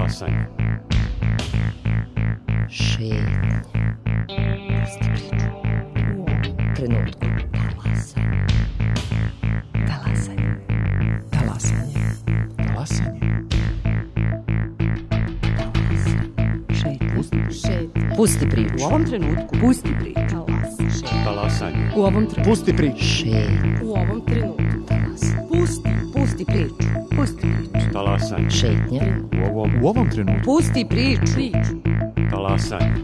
Talasanje. Šetnja. Pusti priču. U ovom trenutku. Talasanje. Talasanje. Talasanje. Pusti priču. U ovom trenutku. Pusti priču. Talasanje. U ovom trenutku. Pusti priču. Šetnja. U ovom trenutku. Pusti priču. Pusti priču. Talasanje. Šetnja. U ovom trenutku. Pusti priču. Talasanje.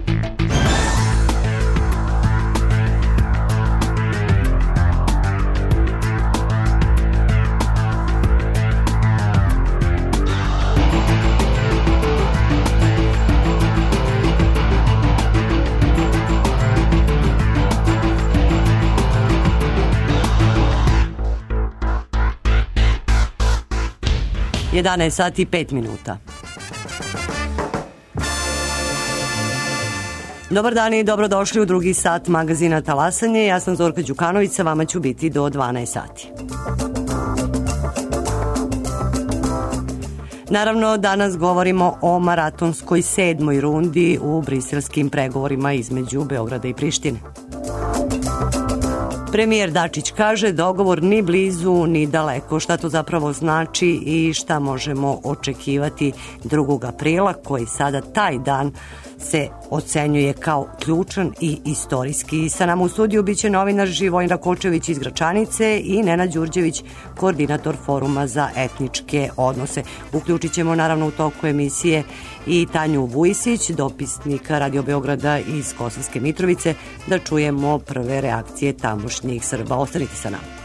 Jedanaest sati i 5 minuta. Dobar dan i dobrodošli u drugi sat magazina Talasanje. Ja sam Zorka Đukanović, sa vama ću biti do 12 sati. Naravno, danas govorimo o maratonskoj 7. rundi u briselskim pregovorima između Beograda i Prištine. Premijer Dačić kaže dogovor ni blizu ni daleko. Šta to zapravo znači i šta možemo očekivati 2. aprila, koji sada taj dan se ocenjuje kao ključan i istorijski. Sa nama u studiju biće novinar Živojin Rakočević iz Gračanice i Nenad Đurđević, koordinator Foruma za etničke odnose. Uključit ćemo naravno u toku emisije i Tanju Vujsić, dopisnika Radio Beograda iz Kosovske Mitrovice, da čujemo prve reakcije tamošnjih Srba. Ostanite sa nama.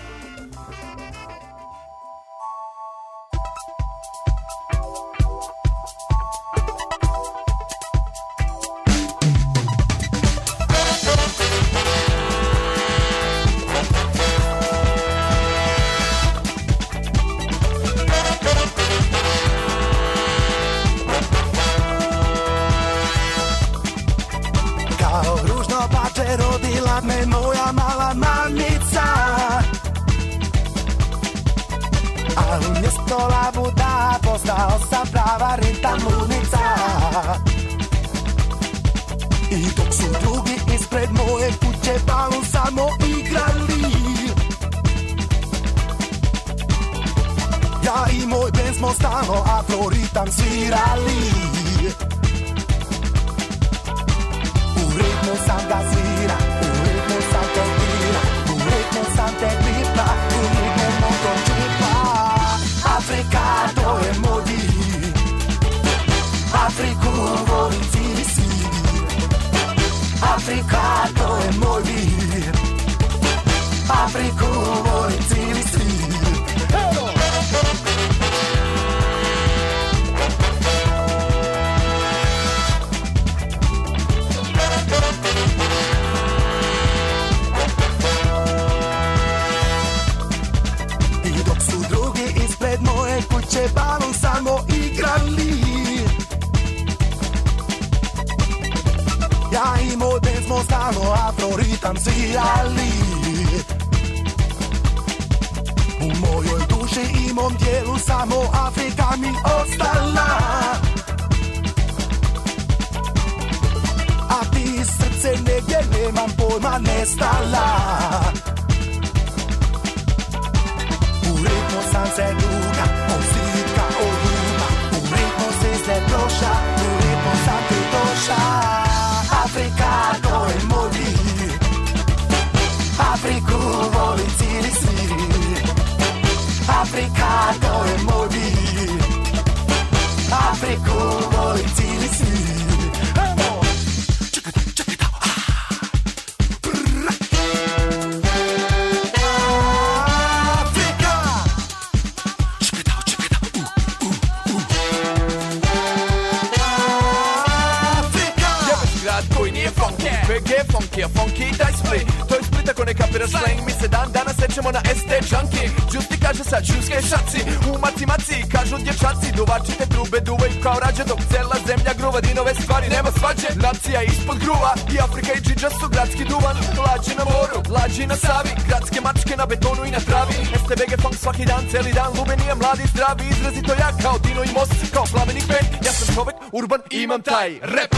Funky, daj split, to je Splita ko ne kapira slang. Mi se dan danas sećamo na ste džanki. Džusti kaže sad džuske šaci. U maci kažu dječaci. Duvačite trube duvaju kao rađe, dok cela zemlja gruva dinove stvari. Nema svađe, nacija ispod gruva. I Afrika i džidža su gradski duvan. Lađi na moru, lađi na Savi. Gradske mačke na betonu i na travi. STBG funk svaki dan, celi dan. Lubenija, mladi, zdravi, izrazito ja. Kao Dino i Most, kao Plamenik band. Ja sam čovek, urban, imam taj rap.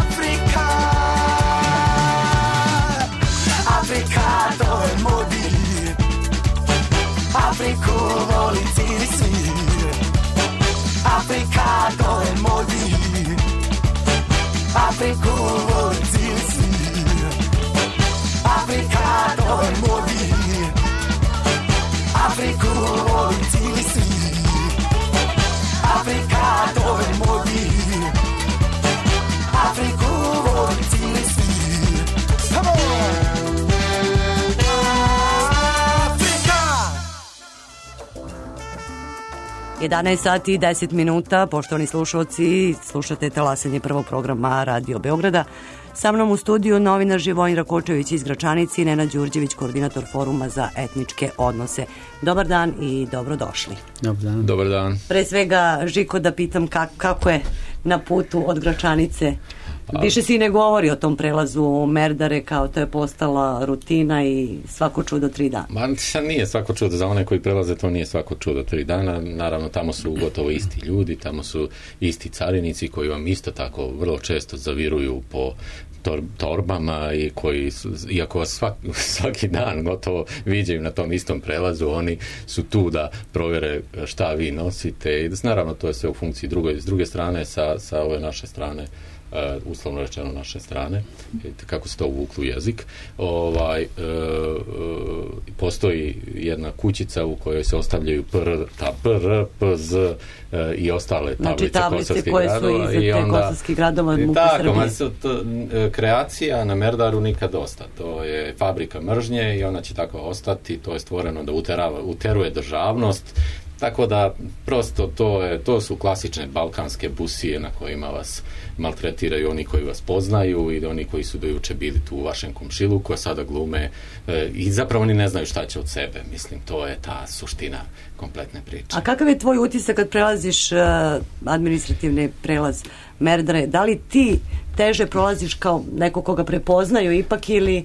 Afrika, Afrika, to je moj vir. Afriku voli cijeli svir. Afrika, to je moj vir. Afriku voli cijeli svir. Afrika, to je moj vir. Afriku voli cijeli svir. Afrika, to je moj vir. Afriku voli cijeli svir. Come on! 11 sati i 10 minuta, poštovani slušalci, slušate talasanje prvog programa Radio Beograda. Sa mnom u studiju novinar Živojin Rakočević iz Gračanice i Nenad Đurđević, koordinator Foruma za etničke odnose. Dobar dan i dobrodošli. Dobar dan. Dobar dan. Pre svega, Žiko, da pitam kako je na putu od Gračanice. Više si ne govori o tom prelazu Merdare, kao to je postala rutina i svako čudo 3 dana. Ma nije svako čudo, za one koji prelaze to nije svako čudo 3 dana. Naravno, tamo su gotovo isti ljudi, tamo su isti carinici koji vam isto tako vrlo često zaviruju po torbama i koji su, iako vas svaki dan gotovo viđaju na tom istom prelazu, oni su tu da provjere šta vi nosite i naravno to je sve u funkciji s druge strane, sa ove naše strane, uslovno rečeno naše strane, kako se to uvuklo u jezik, postoji jedna kućica u kojoj se ostavljaju PR, PZ i ostale tablice kosovskih gradova. Znači tablice kosovskih gradova MUP Srbije. Kreacija na Merdaru nikad dosta. To je fabrika mržnje i ona će tako ostati. To je stvoreno da uteruje državnost. Tako da, prosto, to su klasične balkanske busije na kojima vas maltretiraju oni koji vas poznaju i oni koji su do juče bili tu u vašem komšiluku, a sada glume i zapravo oni ne znaju šta će od sebe. Mislim, to je ta suština kompletne priče. A kakav je tvoj utisak kad prelaziš administrativni prelaz Merdare? Da li ti teže prolaziš kao neko koga prepoznaju ipak ili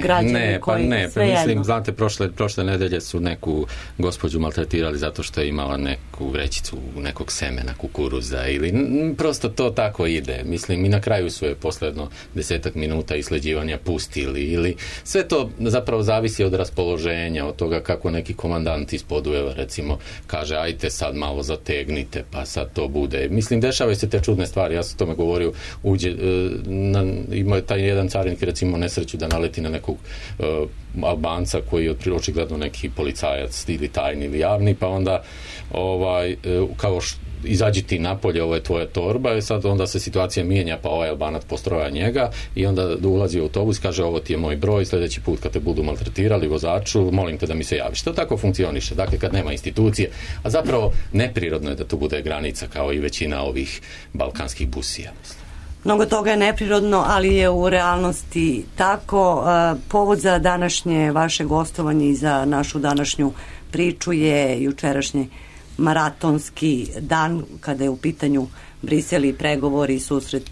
građani koji sve jedno? Mislim, znate, prošle nedelje su neku gospođu maltretirali zato što je imala neku vrećicu nekog semena kukuruza ili prosto to tako ide. Mislim, i na kraju su je posledno 10 minuta isleđivanja pustili ili sve to zapravo zavisi od raspoloženja, od toga kako neki komandant ispod Ujeva recimo kaže ajte sad malo zategnite pa sad to bude. Mislim, dešavaju se te čudne stvari, ja sam tome govorio, ima taj jedan carinik recimo nesreću da naleti na nekog Albanca koji je očigledno neki policajac ili tajni ili javni, pa onda kao izađi ti napolje, ovo je tvoja torba i sad onda se situacija mijenja, pa ovaj Albanac postroja njega i onda ulazi u autobus i kaže ovo ti je moj broj, sljedeći put kad te budu maltretirali vozaču, molim te da mi se javiš. To tako funkcioniše, dakle kad nema institucije, a zapravo neprirodno je da tu bude granica kao i većina ovih balkanskih busija, mislim. Mnogo toga je neprirodno, ali je u realnosti tako. Povod za današnje vaše gostovanje i za našu današnju priču je jučerašnji maratonski dan kada je u pitanju Brisel i pregovori, susret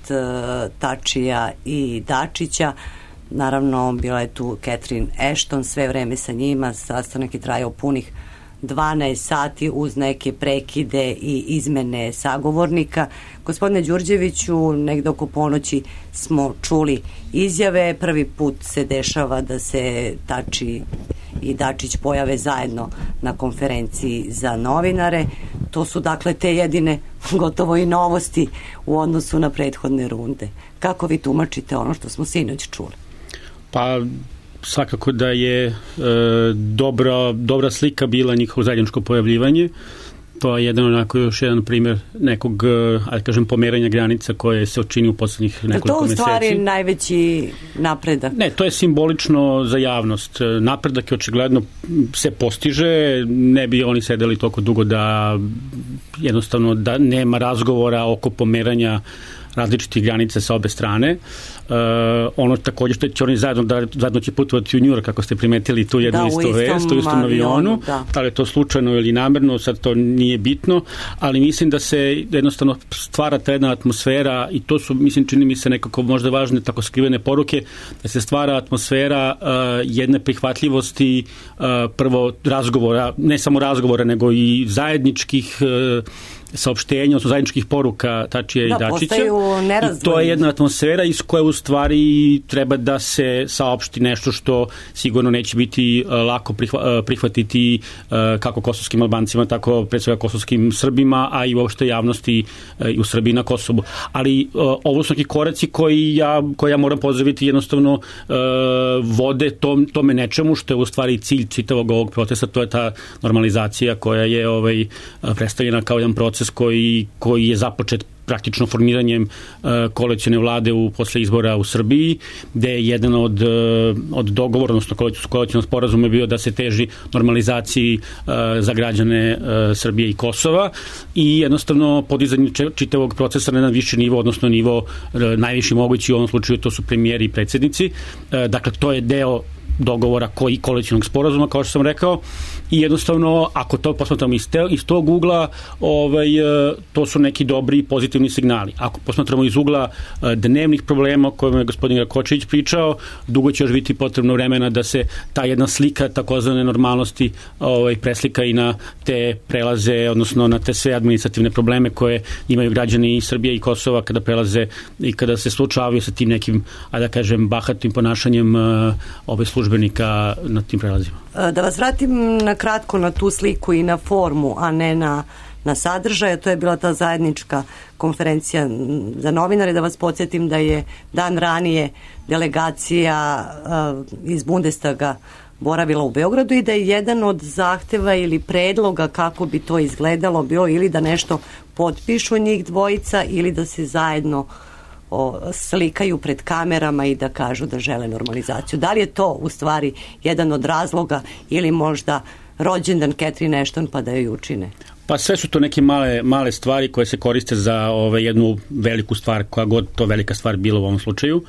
Tačija i Dačića. Naravno, bila je tu Catherine Ashton, sve vreme sa njima, sastanak je trajao punih 12 sati uz neke prekide i izmene sagovornika. Gospodine Đurđeviću, negde oko ponoći smo čuli izjave. Prvi put se dešava da se Tači i Dačić pojave zajedno na konferenciji za novinare. To su dakle te jedine gotovo i novosti u odnosu na prethodne runde. Kako vi tumačite ono što smo sinoć čuli? Pa svakako da je dobra slika bila njihovo zajedničko pojavljivanje. To je još jedan primjer nekog, ali kažem, pomeranja granica koje se učini u poslednjih nekoliko meseci. To u stvari najveći napredak? Ne, to je simbolično za javnost. Napredak je očigledno se postiže, ne bi oni sedeli toliko dugo da jednostavno da nema razgovora oko pomeranja različitih granica sa obe strane. ono takođe što će oni zajedno će putovati u New York, kako ste primetili tu jednu isto vest, u istom avionu, da li je to slučajno ili namerno, sad to nije bitno, ali mislim da se jednostavno stvara ta jedna atmosfera i to su, mislim, čini mi se nekako možda važne tako skrivene poruke, da se stvara atmosfera jedne prihvatljivosti, prvo razgovora, ne samo razgovora, nego i zajedničkih saopštenja, odnosno zajedničkih poruka Tačija i Dačića. I to je jedna atmosfera iz koje u stvari treba da se saopšti nešto što sigurno neće biti lako prihvatiti kako kosovskim Albancima, tako pre svega kosovskim Srbima, a i uopšte javnosti u Srbiji na Kosovu. Ali ovo su neki koraci koji ja moram pozdraviti, jednostavno vode tome nečemu što je u stvari cilj čitavog ovog procesa, to je ta normalizacija koja je predstavljena kao jedan proces koji je započet praktično formiranjem koalicione vlade posle izbora u Srbiji, gde je jedan od dogovora, odnosno koalicijonog sporazuma je bio da se teži normalizaciji za građane Srbije i Kosova i jednostavno podizanje čitavog procesa na jedan viši nivo, odnosno nivo najviši mogući, u ovom slučaju to su premijeri i predsjednici. Dakle, to je deo dogovora koji koalicijonog sporazuma, kao što sam rekao, i jednostavno, ako to posmatramo iz tog ugla, to su neki dobri pozitivni signali. Ako posmatramo iz ugla dnevnih problema o kojima je gospodin Rakočević pričao, dugo će još biti potrebno vremena da se ta jedna slika takozvane normalnosti preslika i na te prelaze, odnosno na te sve administrativne probleme koje imaju građani Srbije i Kosova kada prelaze i kada se slučavaju sa tim nekim, da kažem, bahatim ponašanjem službenika na tim prelazima. Da vas vratim na kratko na tu sliku i na formu, a ne na sadržaj. To je bila ta zajednička konferencija za novinare. Da vas podsjetim da je dan ranije delegacija iz Bundestaga boravila u Beogradu i da je jedan od zahteva ili predloga kako bi to izgledalo bilo ili da nešto potpišu njih dvojica ili da se zajedno slikaju pred kamerama i da kažu da žele normalizaciju. Da li je to u stvari jedan od razloga ili možda rođendan Catherine Ashton pa da joj učine? Pa sve su to neke male stvari koje se koriste za jednu veliku stvar, koja god to velika stvar bila u ovom slučaju.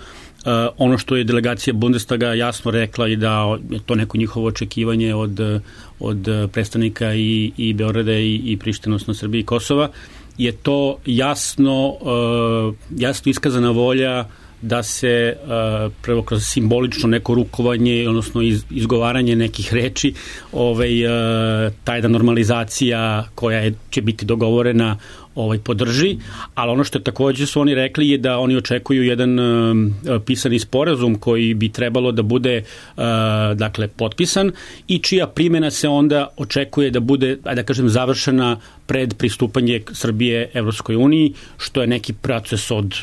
Ono što je delegacija Bundestaga jasno rekla i da je to neko njihovo očekivanje od predstavnika i Beograda i Prištine, odnosno Srbije i Kosova, je to jasno iskazana volja da se prvo kroz simbolično neko rukovanje, odnosno izgovaranje nekih reči, ta jedna normalizacija koja će biti dogovorena podrži, ali ono što takođe su oni rekli je da oni očekuju jedan pisani sporazum koji bi trebalo da bude potpisan i čija primjena se onda očekuje da bude, da kažem, završena pred pristupanje Srbije Evropskoj uniji, što je neki proces od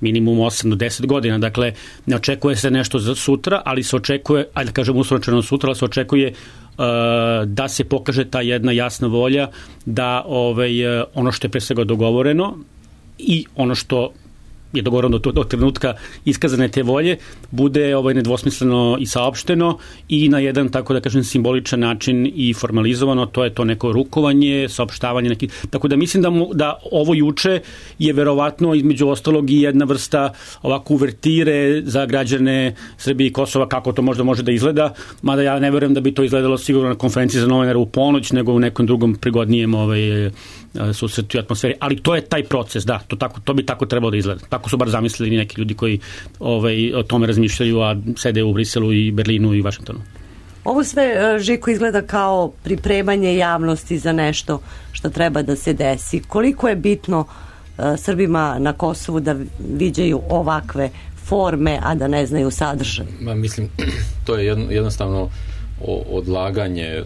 minimum 8 do 10 godina. Dakle, ne očekuje se nešto za sutra, ali se očekuje, da kažem uslovno sutra, ali se očekuje da se pokaže ta jedna jasna volja da ono što je pre svega dogovoreno i ono što je dogovoreno do trenutka iskazane te volje bude nedvosmisleno i saopšteno i na jedan, tako da kažem, simboličan način i formalizovano, to je to neko rukovanje, saopštavanje neki. Tako da mislim da ovo juče je verovatno između ostalog i jedna vrsta ovako uvertire za građane Srbije i Kosova kako to možda može da izgleda, mada ja ne verujem da bi to izgledalo sigurno na konferenciji za novinare u ponoć, nego u nekom drugom prigodnijem susretu i atmosferi, ali to je taj proces, da, to bi tako trebalo da izgleda. Tako su bar zamislili neki ljudi koji o tome razmišljaju, a sede u Briselu i Berlinu i Vašingtonu. Ovo sve, Žiko, izgleda kao pripremanje javnosti za nešto što treba da se desi. Koliko je bitno Srbima na Kosovu da viđaju ovakve forme, a da ne znaju sadržaj? Mislim, to je jednostavno odlaganje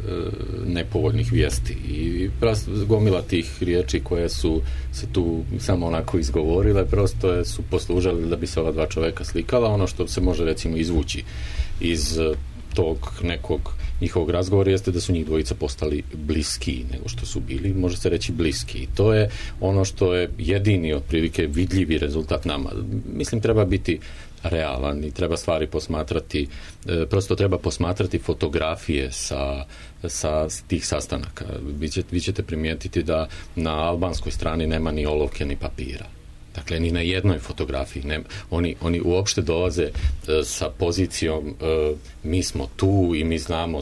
nepovoljnih vijesti i gomila tih riječi koje su se tu samo onako izgovorile, prosto su poslužali da bi se ova dva čoveka slikala. Ono što se može recimo izvući iz tog nekog njihovog razgovora jeste da su njih dvojica postali bliski nego što su bili, može se reći bliski. I to je ono što je jedini otprilike vidljivi rezultat nama. Mislim, treba biti realan i treba stvari posmatrati, prosto treba posmatrati fotografije sa tih sastanaka. Vi ćete primijetiti da na albanskoj strani nema ni olovke ni papira. Dakle, ni na jednoj fotografiji. Oni uopšte dolaze sa pozicijom mi smo tu i mi znamo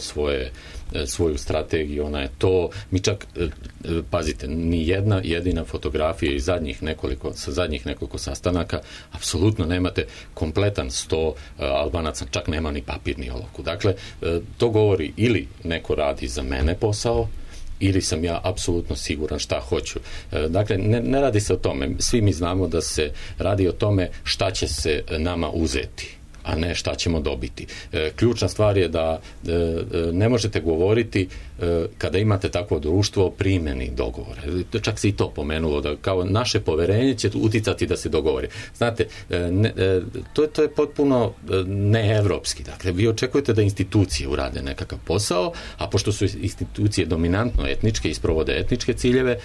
svoju strategiju, ona je to. Mi čak, pazite, ni jedna jedina fotografija iz zadnjih nekoliko sastanaka, apsolutno nemate kompletan 100 Albanaca, čak nema ni papir ni olovku. Dakle, to govori ili neko radi za mene posao, ili sam ja apsolutno siguran šta hoću. Dakle, ne radi se o tome. Svi mi znamo da se radi o tome šta će se nama uzeti, a ne šta ćemo dobiti. Ključna stvar je da ne možete govoriti kada imate takvo društvo o primjeni dogovora. Čak se i to pomenulo, da kao naše poverenje će uticati da se dogovori. Znate, to je potpuno neevropski. Dakle, vi očekujete da institucije urade nekakav posao, a pošto su institucije dominantno etničke i sprovode etničke ciljeve,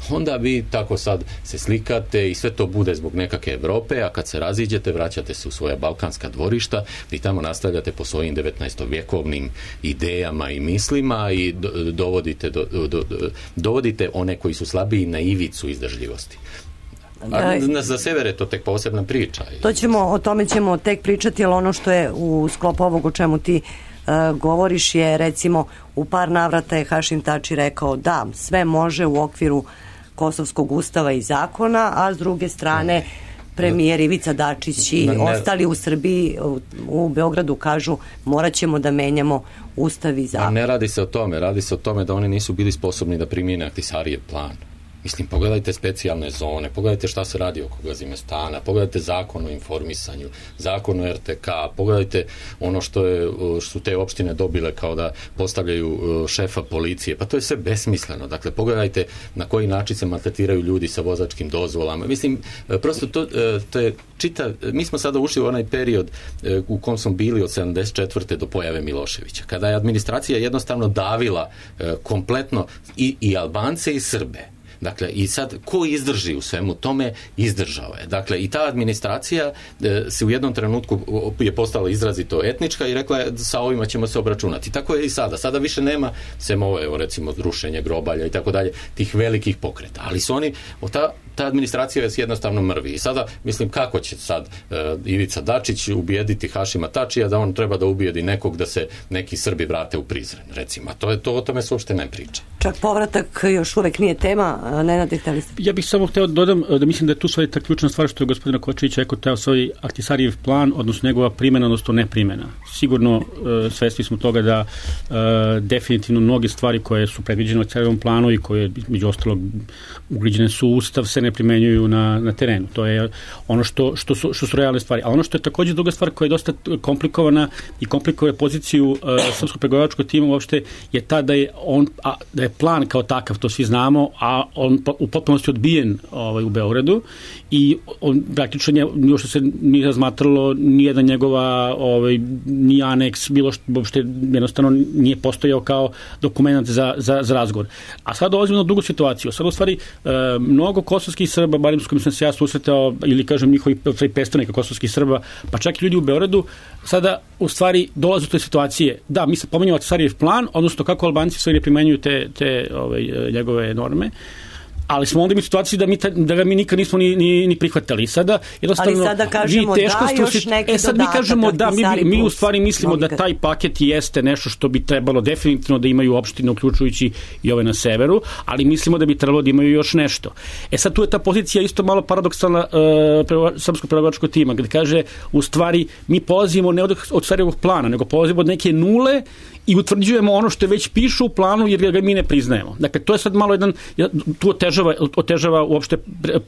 onda vi tako sad se slikate i sve to bude zbog nekakve Evrope, a kad se raziđete, vraćate se u svoja balkanska dvorišta i tamo nastavljate po svojim 19-vjekovnim idejama i mislima i dovodite one koji su slabiji na ivicu izdržljivosti. A za sever je to tek posebna priča. O tome ćemo tek pričati, ali ono što je u sklopu ovog o čemu ti govoriš je, recimo, u par navrata je Hašim Tači rekao da sve može u okviru Kosovskog ustava i zakona, a s druge strane premijer Ivica Dačić i ostali u Srbiji, u Beogradu kažu morat ćemo da menjamo ustav i zakon. Ne radi se o tome, radi se o tome da oni nisu bili sposobni da primijene Ahtisarijev plan. Mislim, pogledajte specijalne zone, pogledajte šta se radi oko Gazimestana, pogledajte zakon o informisanju, zakon o RTK, pogledajte ono što su te opštine dobile kao da postavljaju šefa policije. Pa to je sve besmisleno. Dakle, pogledajte na koji način se maltretiraju ljudi sa vozačkim dozvolama. Mislim, prosto to je mi smo sada ušli u onaj period u kom smo bili od 74. do pojave Miloševića, kada je administracija jednostavno davila kompletno i Albance i Srbe. Dakle, i sad, ko izdrži u svemu tome, izdržao je. Dakle, i ta administracija se u jednom trenutku je postala izrazito etnička i rekla je sa ovima ćemo se obračunati. Tako je i sada. Sada više nema, sem ovo, evo, recimo, rušenje grobalja i tako dalje, tih velikih pokreta. Ali su oni, ta administracija je jednostavno mrvi. I sada, mislim, kako će sad Ivica Dačić ubijediti Hašima Tačija da on treba da ubijedi nekog da se neki Srbi vrate u Prizren, recimo. O tome se uopšte ne priča. Čak povratak još uvek nije tema. Nenade, hteli ste? Ja bih samo hteo dodam da mislim da je tu svoja ta ključna stvar što je gospodina Kočević rekao, taj svoj Ahtisarijev plan, odnosno njegova primjena, odnosno neprimjena. Sigurno svesni smo toga da definitivno mnoge stvari koje su predviđene u Ahtisarijevom planu i koje, među ostalog, ugrađene su u ustav, se ne primenjuju na terenu. To je ono što su realne stvari. A ono što je također druga stvar koja je dosta komplikovana i komplikuje poziciju srpskog pregovaračkog tima uopšte je ta da je plan kao takav, to svi znamo, a on u potpunosti odbijen u Beogradu i on praktično još što se nije razmatralo nijedna njegova ni aneks, bilo što uopšte jednostavno nije postojao kao dokument za razgovor. A sad dolazimo na drugu situaciju. Sad u stvari mnogo kosovskih Srba, barem s kojim sam se ja susretao, ili kažem njihovi predstavnika kosovskih Srba, pa čak i ljudi u Beogradu, sada u stvari dolaze do te situacije. Da, mi se pomenjamo Ahtisarijev plan, odnosno kako Albanci sve ne primenjuju te njegove norme, ali smo onda imali situaciju da ga mi nikad nismo ni prihvatali. Sada, ali sada kažemo da još neki sad mi kažemo da mi u stvari mislimo da taj paket jeste nešto što bi trebalo definitivno da imaju opštine, uključujući i ove na severu, ali mislimo da bi trebalo da imaju još nešto. Sad tu je ta pozicija isto malo paradoksalna srpskog pregovaračkog tima, gde kaže u stvari mi polazimo ne od Ahtisarievog plana, nego polazimo od neke nule i utvrđujemo ono što već piše u planu jer ga mi ne priznajemo. Dakle, to je sad malo tu otežava uopšte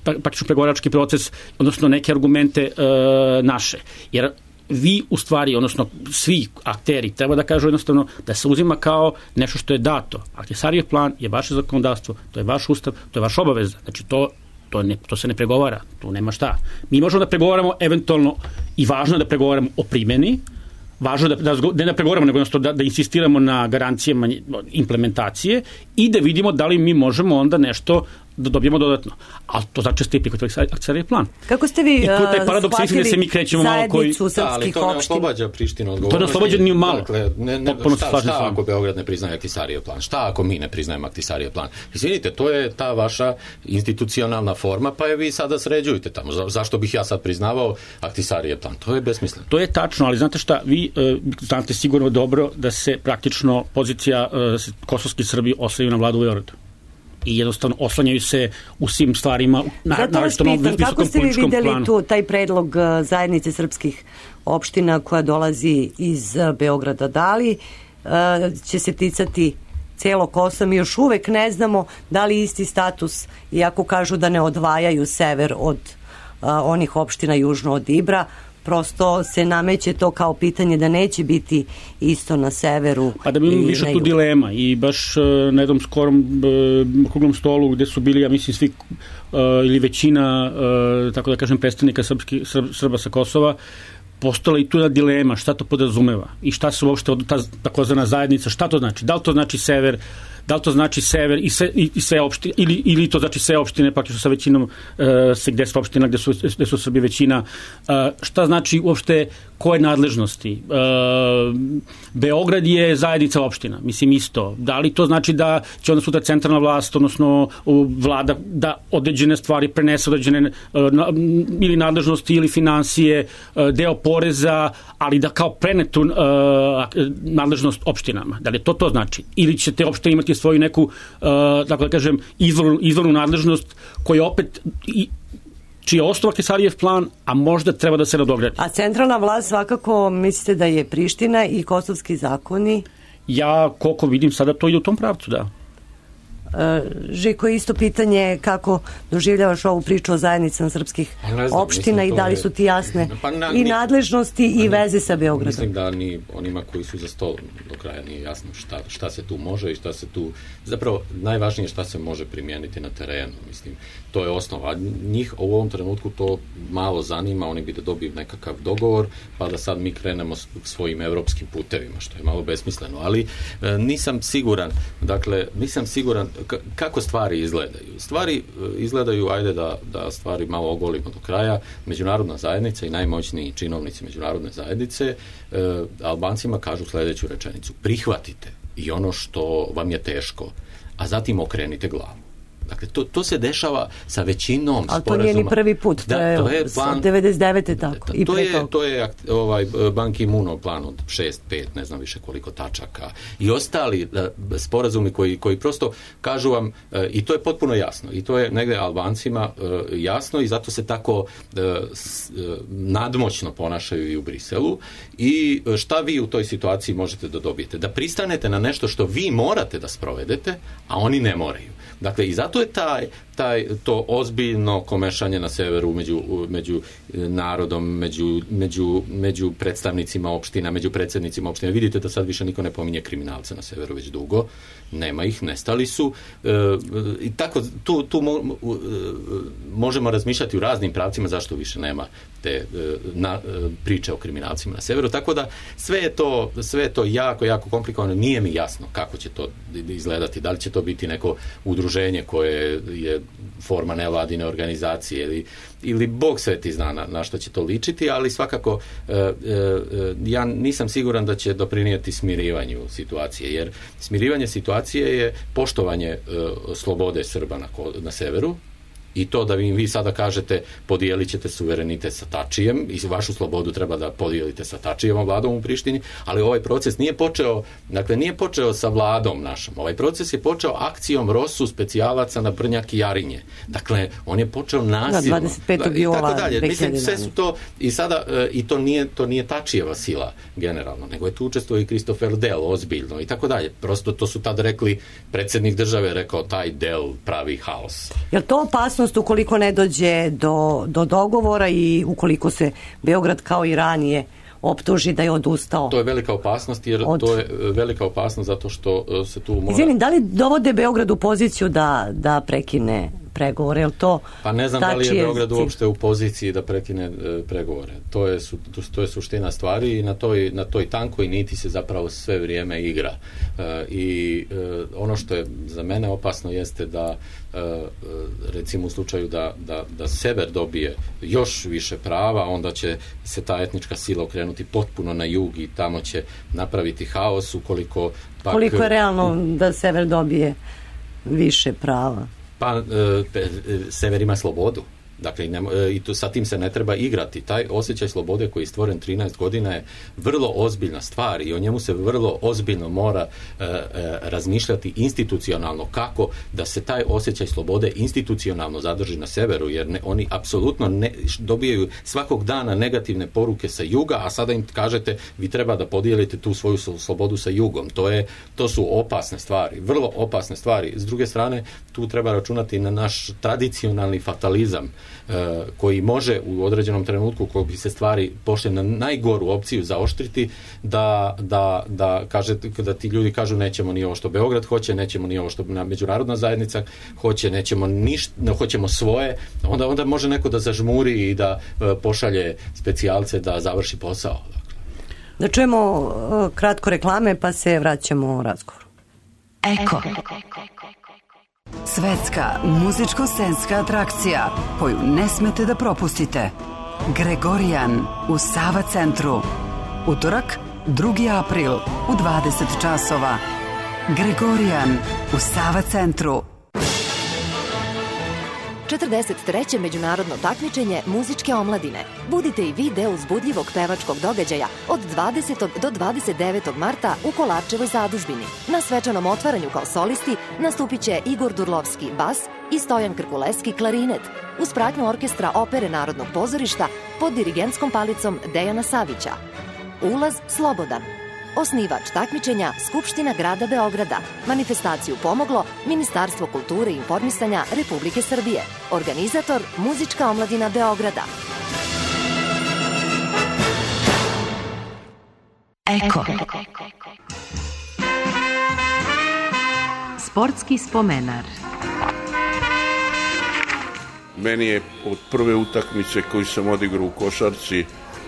praktično pregovarački proces, odnosno neke argumente naše. Jer vi u stvari, odnosno svi akteri treba da kažu jednostavno da se uzima kao nešto što je dato. Ahtisarijev plan je vaše zakonodavstvo, to je vaš ustav, to je vaša obaveza. Znači, to se ne pregovara, tu nema šta. Mi možemo da pregovaramo eventualno i važno je da pregovaramo o primjeni, važno da ne pregovaramo, nego da insistiramo na garancijama implementacije i da vidimo da li mi možemo onda nešto da dobijemo dodatno. A to znači ste prihvatili akcijski plan. Kako ste vi I tu je taj paradoks, shvatili da se mi krećemo malo koji... srpskih to ne opština? oslobađa Prištinu odgovornosti. To ne oslobađa ni malo. Dakle, šta ako Beograd ne priznaje Ahtisarijev plan? Šta ako mi ne priznajemo Ahtisarijev plan? Izvinite, to je ta vaša institucionalna forma, pa je vi sada sređujete tamo. Zašto bih ja sad priznavao Ahtisarijev plan? To je besmisleno. To je tačno, ali znate šta, vi znate sigurno dobro da se praktično pozicija kosovski Srbi oslanjaju na vladu u Beogradu. I jednostavno oslanjaju se u svim stvarima, zato vas pitam, kako ste vi videli taj predlog zajednice srpskih opština koja dolazi iz Beograda? Da li će se ticati celo Kosova? Mi još uvek ne znamo da li isti status, iako kažu da ne odvajaju sever od onih opština južno od Ibra, prosto se nameće to kao pitanje da neće biti isto na severu. A da bi imamo više tu dilema i baš na jednom skorom okruglom stolu gde su bili, ja mislim, svi ili većina, tako da kažem, predstavnika Srba sa Kosova, postala i tu jedna dilema šta to podrazumeva i šta se uopšte ta takozvana zajednica, šta to znači? Da li to znači sever, da li to znači sever i sve opštine, ili to znači sve opštine, pa sa većinom gde su opština, gde su Srbi većina, šta znači uopšte koje nadležnosti? Beograd je zajednica opština, mislim isto. Da li to znači da će onda sutra centralna vlast, odnosno vlada, da određene stvari prenese određene ili nadležnosti ili financije, deo poreza, ali da kao prenetu nadležnost opštinama. Da li to znači? Ili će te opštine imati svoju neku, tako da kažem, izvornu nadležnost koja opet čiji je osnov Ahtisarijev plan, a možda treba da se nadogradi. A centralna vlast svakako mislite da je Priština i kosovski zakoni? Ja, koliko vidim sada, to ide u tom pravcu, da. Žiko, isto pitanje kako doživljavaš ovu priču o zajednicama srpskih opština i da li su ti jasne i nadležnosti i veze sa Beogradom? Mislim da ni onima koji su za stolom do kraja nije jasno šta se tu može i šta se tu... Zapravo, najvažnije šta se može primijeniti na terenu, mislim. To je osnova. Njih u ovom trenutku to malo zanima, oni bi da dobiju nekakav dogovor, pa da sad mi krenemo svojim evropskim putevima, što je malo besmisleno. Ali nisam siguran kako stvari izgledaju. Stvari izgledaju, ajde da stvari malo ogolimo do kraja. Međunarodna zajednica i najmoćniji činovnici međunarodne zajednice Albancima kažu sljedeću rečenicu: prihvatite i ono što vam je teško, a zatim okrenite glavu. Dakle, to se dešava sa većinom sporazuma. Ali to nije ni prvi put, to je od 99. tako. To je Ban Ki-moonov plan od 6-5, ne znam više koliko tačaka. I ostali sporazumi koji prosto kažu vam, i to je potpuno jasno, i to je negde Albancima jasno i zato se tako nadmoćno ponašaju i u Briselu. I šta vi u toj situaciji možete da dobijete? Da pristanete na nešto što vi morate da sprovedete, a oni ne moraju. Dakle, i zato je to ozbiljno komešanje na severu među narodom, među predstavnicima opština, među predsjednicima opština. Vidite da sad više niko ne pominje kriminalce na severu već dugo. Nema ih, nestali su. I tako, tu možemo razmišljati u raznim pravcima zašto više nema te priče o kriminalcima na severu. Tako da sve je to jako, jako komplikovano. Nije mi jasno kako će to izgledati. Da li će to biti neko udruženje koje je forma nevladine organizacije ili Bog sveti zna na što će to ličiti, ali svakako ja nisam siguran da će doprinijeti smirivanju situacije, jer smirivanje situacije je poštovanje slobode Srba na severu, i to da vi sada kažete podijelit ćete suverenitet sa Tačijem i vašu slobodu treba da podijelite sa Tačijevom vladom u Prištini, ali ovaj proces nije počeo sa vladom našom. Ovaj proces je počeo akcijom ROSU specijalaca na Brnjak i Jarinje. Dakle, on je počeo nasilno. 25. jula 2011. Mislim, sve su to i sada, i to nije Tačijeva sila generalno, nego je tu učestvovao i Christopher Dell ozbiljno i tako dalje. Prosto to su tad rekli, predsjednik države rekao taj Dell pravi haos. Je li to opasnost ukoliko ne dođe do dogovora i ukoliko se Beograd kao i ranije optuži da je odustao? To je velika opasnost, jer to je velika opasnost zato što se tu mora... Izvinim, da li dovode Beograd u poziciju da prekine pregovore, je li to pa ne znam da li je Beograd uopšte u poziciji da prekine pregovore. To je suština stvari i na toj tankoj niti se zapravo sve vrijeme igra. I ono što je za mene opasno jeste da recimo u slučaju da sever dobije još više prava, onda će se ta etnička sila okrenuti potpuno na jug i tamo će napraviti haos ukoliko pak... Koliko je realno da sever dobije više prava? Pa sever ima slobodu. Dakle, i sa tim se ne treba igrati. Taj osjećaj slobode koji je stvoren 13 godina je vrlo ozbiljna stvar i o njemu se vrlo ozbiljno mora razmišljati institucionalno, kako da se taj osjećaj slobode institucionalno zadrži na severu, jer oni apsolutno dobijaju svakog dana negativne poruke sa juga, a sada im kažete vi treba da podijelite tu svoju slobodu sa jugom. To su opasne stvari, vrlo opasne stvari. S druge strane, tu treba računati na naš tradicionalni fatalizam, koji može u određenom trenutku, kako bi se stvari pošle na najgoru opciju zaoštriti, da ti ljudi kažu nećemo ni ovo što Beograd hoće, nećemo ni ovo što međunarodna zajednica hoće, hoćemo svoje, onda može neko da zažmuri i da pošalje specijalce da završi posao. Da čujemo kratko reklame pa se vraćamo u razgovor. Eko. Svetska muzičko-scenska atrakcija koju ne smete da propustite. Gregorijan u Sava centru. Utorak, 2. april u 20 časova. Gregorijan u Sava centru. 43. međunarodno takmičenje muzičke omladine. Budite i vi deo uzbudljivog pevačkog događaja od 20. do 29. marta u Kolarčevoj zadužbini. Na svečanom otvaranju kao solisti nastupit će Igor Durlovski bas i Stojan Krkuleski klarinet, uz pratnju orkestra Opere Narodnog pozorišta pod dirigentskom palicom Dejana Savića. Ulaz slobodan. Osnivač takmičenja Skupština grada Beograda. Manifestaciju pomoglo Ministarstvo kulture i informisanja Republike Srbije. Organizator Muzička omladina Beograda. Eko. Sportski spomenar. Meni je od prve utakmice koju sam odigrao u košarci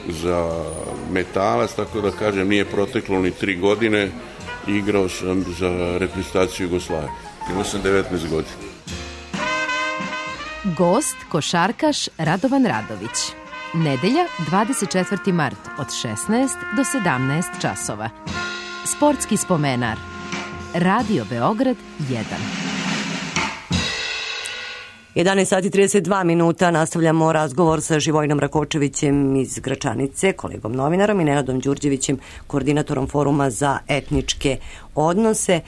za Metalac, tako da kažem, nije proteklo ni 3 godine. Igrao sam za reprezentaciju Jugoslavije. Imao sam 19 godina. Gost, košarkaš Radovan Radović. Nedelja, 24. mart od 16 do 17 časova. Sportski spomenar. Radio Beograd 1. 11 sati 32 minuta, nastavljamo razgovor sa Živojinom Rakočevićem iz Gračanice, kolegom novinarom, i Nenadom Đurđevićem, koordinatorom Foruma za etničke odnose.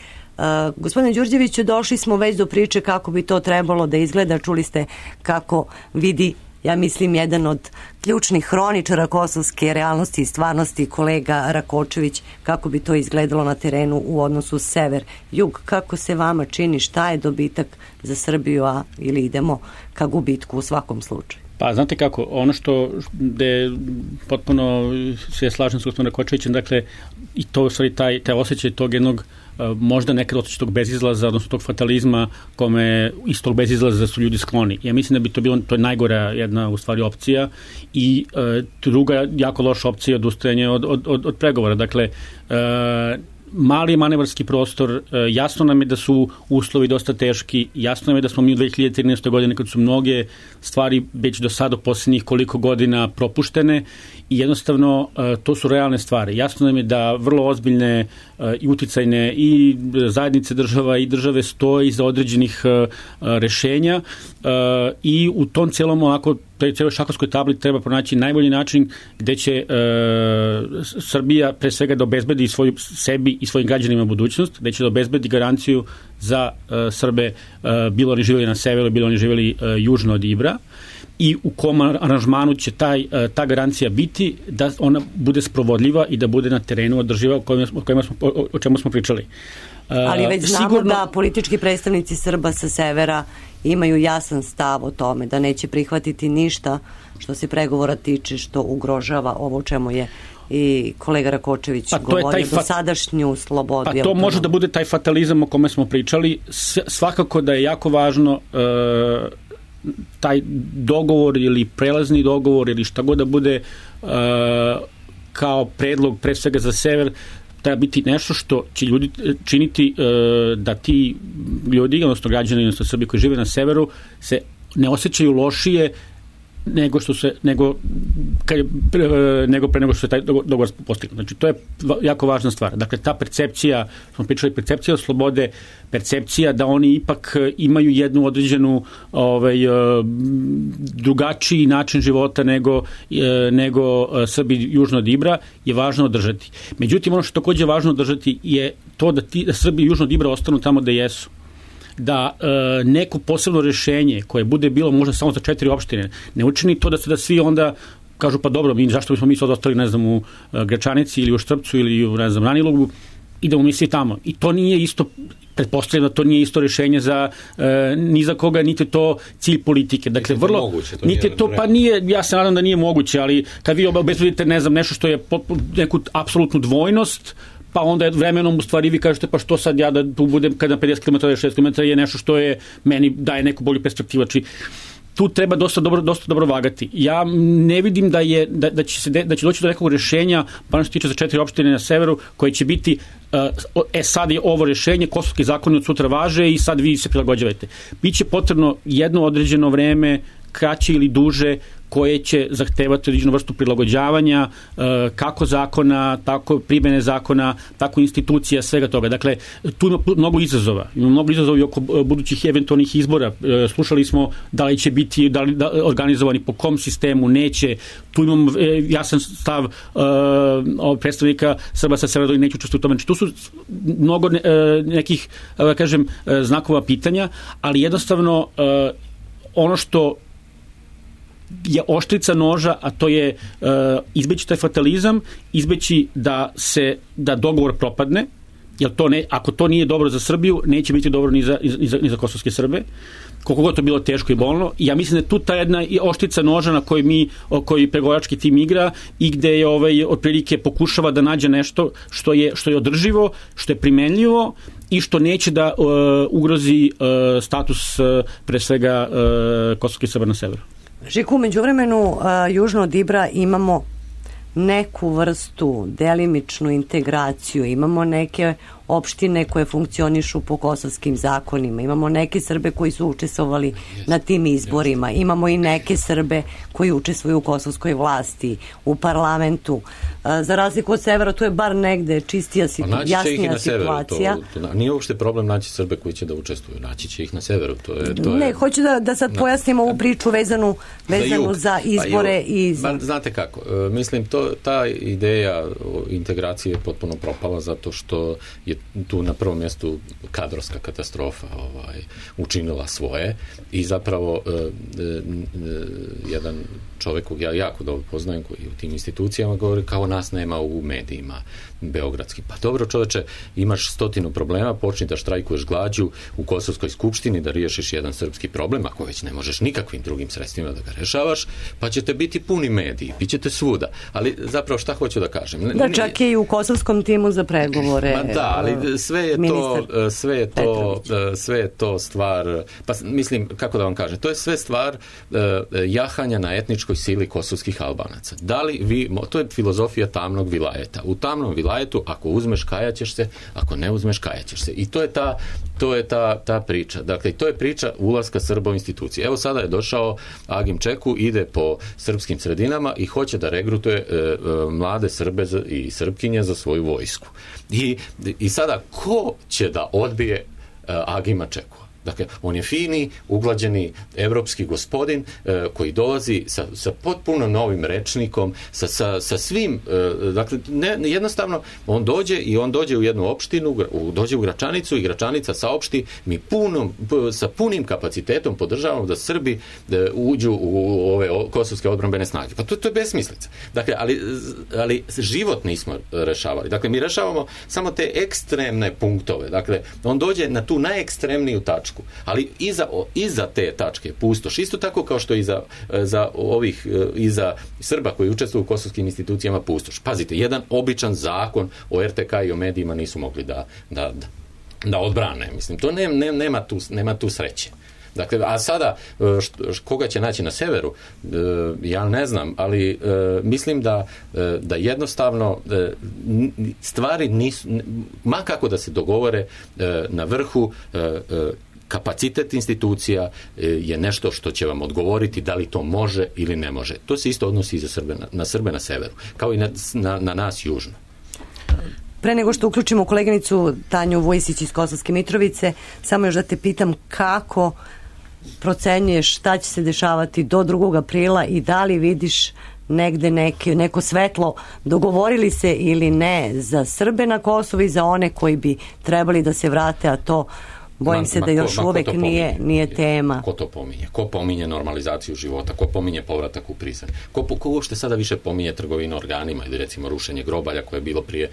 Gospodine Đurđeviću, došli smo već do priče kako bi to trebalo da izgleda. Čuli ste kako vidi, ja mislim, jedan od ključnih hroničara kosovske realnosti i stvarnosti, kolega Rakočević, kako bi to izgledalo na terenu u odnosu sever-jug. Kako se vama čini, šta je dobitak za Srbiju, ili idemo ka gubitku u svakom slučaju? Pa, znate kako, ono što je potpuno se slažem s gospodinom Rakočevićem, dakle, i to u stvari taj osjećaj tog jednog možda nekad osjećaj tog bezizlaza, odnosno tog fatalizma kome iz tog bezizlaza su ljudi skloni. Ja mislim da bi to bilo, to je najgora jedna u stvari opcija, i druga jako loša opcija je odustajanje od pregovora. Dakle, mali manevarski prostor, jasno nam je da su uslovi dosta teški, jasno nam je da smo mi u 2013. godine, kad su mnoge stvari već do sada posljednjih koliko godina propuštene, i jednostavno to su realne stvari. Jasno nam je da vrlo ozbiljne i uticajne i zajednice država i države stoje iza određenih rešenja, i u tom celom ovako celoj šahovskoj tabli treba pronaći najbolji način gde će Srbija pre svega da obezbedi sebi i svojim građanima budućnost, gde će da obezbedi garanciju za Srbe, bilo oni živjeli na severu, bilo oni živjeli južno od Ibra, i u kom aranžmanu će ta garancija biti da ona bude sprovodljiva i da bude na terenu održiva, o čemu smo pričali. Ali već znamo da politički predstavnici Srba sa severa imaju jasan stav o tome da neće prihvatiti ništa što se pregovora tiče, što ugrožava ovo čemu je i kolega Rakočević govorio, dosadašnju slobodu. Pa to može da bude taj fatalizam o kome smo pričali. Svakako da je jako važno taj dogovor ili prelazni dogovor ili šta god da bude kao predlog pre svega za sever, treba biti nešto što će ljudi činiti da ti ljudi, odnosno građani, odnosno Srbi koji žive na severu, se ne osjećaju lošije nego pre nego što je taj dogovor postignut. Znači, to je jako važna stvar. Dakle, ta percepcija, smo pričali, percepcija slobode, percepcija da oni ipak imaju jednu određenu drugačiji način života nego Srbi južno od Ibra, je važno održati. Međutim, ono što takođe je važno održati je to da Srbi južno od Ibra ostanu tamo da jesu. Da neko posebno rešenje koje bude bilo možda samo za 4 opštine ne učini to da svi onda kažu pa dobro, zašto bismo mi sad ostali, ne znam, u Gračanici ili u Štrpcu ili u, ne znam, Ranilogu, idemo mi svi tamo. I to nije isto, pretpostavljam da to nije isto rešenje za ni za koga, niti to cilj politike. Dakle, vrlo moguće, niti to pa nije, ja se nadam da nije moguće, ali kad vi obezbedite, ne znam, nešto što je neku apsolutnu dvojnost, pa onda vremenom u stvari vi kažete pa što sad ja da tu budem kada 50 km ili 60 km je nešto što je meni daje neku bolju perspektivu. Znači, tu treba dosta dobro vagati. Ja ne vidim da će doći do nekog rešenja, pa ono što tiče za 4 opštine na severu, koje će biti sad je ovo rešenje, kosovski zakoni od sutra važe i sad vi se prilagođavate. Biće potrebno jedno određeno vreme, kraće ili duže, koje će zahtevati određenu vrstu prilagođavanja, kako zakona, tako primene zakona, tako institucija, svega toga. Dakle, tu ima mnogo izazova. Ima mnogo izazova i oko budućih eventualnih izbora. Slušali smo da li će biti organizovani po kom sistemu, neće. Tu imam jasan stav predstavnika Srba sa severa, neću učestvovati u tome. Znači, tu su mnogo nekih, kažem, znakova pitanja, ali jednostavno ono što je oštrica noža, a to je izbeći taj fatalizam, izbeći da dogovor propadne, jer ako to nije dobro za Srbiju, neće biti dobro ni za kosovske Srbe, koliko god to bilo teško i bolno. Ja mislim da je tu ta jedna oštrica noža na kojoj pregovarački tim igra i gde je otprilike pokušava da nađe nešto što je održivo, što je primenljivo i što neće da ugrozi status pre svega kosovskih Srba na severu. Žiku, među vremenu južno od Ibra imamo neku vrstu delimičnu integraciju, imamo neke opštine koje funkcionišu po kosovskim zakonima, imamo neke Srbe koji su učestvovali na tim izborima, imamo i neke Srbe koji učestvuju u kosovskoj vlasti, u parlamentu. Za razliku od severa, tu je bar negde čistija, jasnija situacija. Nije uopšte problem naći Srbe koji će da učestvuju, naći će ih na severu. Ne, hoću da sad pojasnim ovu priču vezanu za izbore. Znate kako, mislim, ta ideja integracije je potpuno propala zato što je tu na prvom mjestu kadrovska katastrofa učinila svoje i zapravo jedan čovjek kog ja jako dobro poznajem koji u tim institucijama govori kao nas nema u medijima beogradski. Pa dobro čoveče, imaš 100 problema, počni da štrajkuješ glađu u Kosovskoj skupštini da riješiš jedan srpski problem, ako već ne možeš nikakvim drugim sredstvima da ga rešavaš, pa ćete biti puni mediji, bit ćete svuda. Ali zapravo šta hoću da kažem? Čak je i u kosovskom timu za pregovore. Ma da, ali sve je to stvar, pa mislim, kako da vam kažem, to je sve stvar jahanja na etničkoj sili kosovskih Albanaca. Da li to je filozofija tamnog vilajeta. U tamnom vilajetu, ako uzmeš, kajaćeš se, ako ne uzmeš, kajaćeš se. I to je ta priča. Dakle, to je priča ulaska Srba u institucije. Evo sada je došao Agim Čeku, ide po srpskim sredinama i hoće da regrutuje mlade Srbe i Srpkinje za svoju vojsku. I sada, ko će da odbije Agima Čeku? Dakle, on je fini, uglađeni evropski gospodin koji dolazi sa potpuno novim rečnikom, sa svim, dakle, jednostavno, on dođe u jednu opštinu, dođe u Gračanicu i Gračanica saopšti, mi sa punim kapacitetom podržavamo da Srbi uđu u ove kosovske odbrambene snage. Pa to je besmislica. Dakle, ali život nismo rešavali. Dakle, mi rešavamo samo te ekstremne punktove. Dakle, on dođe na tu najekstremniju tačku tačku. Ali iza te tačke je pustoš. Isto tako kao što i iza Srba koji učestvuju u kosovskim institucijama pustoš. Pazite, jedan običan zakon o RTK i o medijima nisu mogli da odbrane. Mislim, to nema tu sreće. Dakle, a sada, koga će naći na severu, ja ne znam, ali mislim da jednostavno stvari nisu, ma kako da se dogovore na vrhu, kapacitet institucija je nešto što će vam odgovoriti da li to može ili ne može. To se isto odnosi i za Srbe na severu, kao i na nas južno. Pre nego što uključimo koleginicu Tanju Vujisić iz Kosovske Mitrovice, samo još da te pitam kako procenjuješ šta će se dešavati do 2. aprila i da li vidiš negde neko svetlo, dogovorili se ili ne za Srbe na Kosovu i za one koji bi trebali da se vrate, a to bojim se da još uvek nije tema. Ko to pominje? Ko pominje normalizaciju života? Ko pominje povratak u Prizren? Ko uopšte sada više pominje trgovinu organima ili recimo rušenje grobalja koje je bilo prije